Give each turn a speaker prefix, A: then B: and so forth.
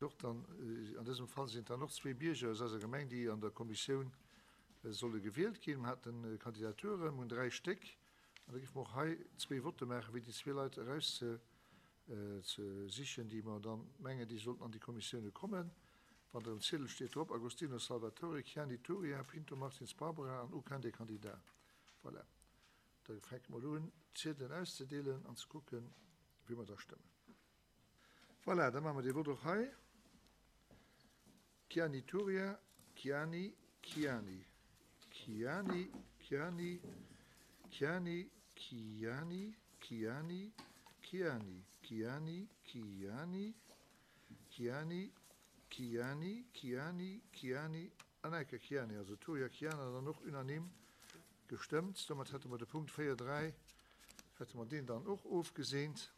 A: Och dann, an dësem Fall sinn et dann och zwee Bierger aus eiser Gemeng, déi an der Kommissioun solle gewielt ginn. Mer haten Kandidaturen, mer hunn dräi Stéck, an da géife mer och hei zwee Votte maachen, fir déi zwee Leit erauszesichen, déi mer dann mengen, déi sollten an déi Kommissioune kommen. Wann Der um Ziedel steet drop, Agostino Salvatore, Chiani Turia, Pinto Martins Barbara an aucun des candidats. Voilà. Da fänke mer elo un, d'Ziedelen auszedeelen an ze kucken, wéi mer da stëmmen. Voilà, da maache mer dee Vott och hei. Chiani Turia, Chiani, Chiani, Chiani, Chiani, Chiani, Chiani, Chiani, Chiani, Chiani, Chiani, Chiani, Chiani, Chiani, Chiani an eng Kéier Chiani, also Turia, Chiani an dann och unanime gestëmmt. Domat hätte mer de Punkt 4, 3, hätte mer deen dann och ofgeseent.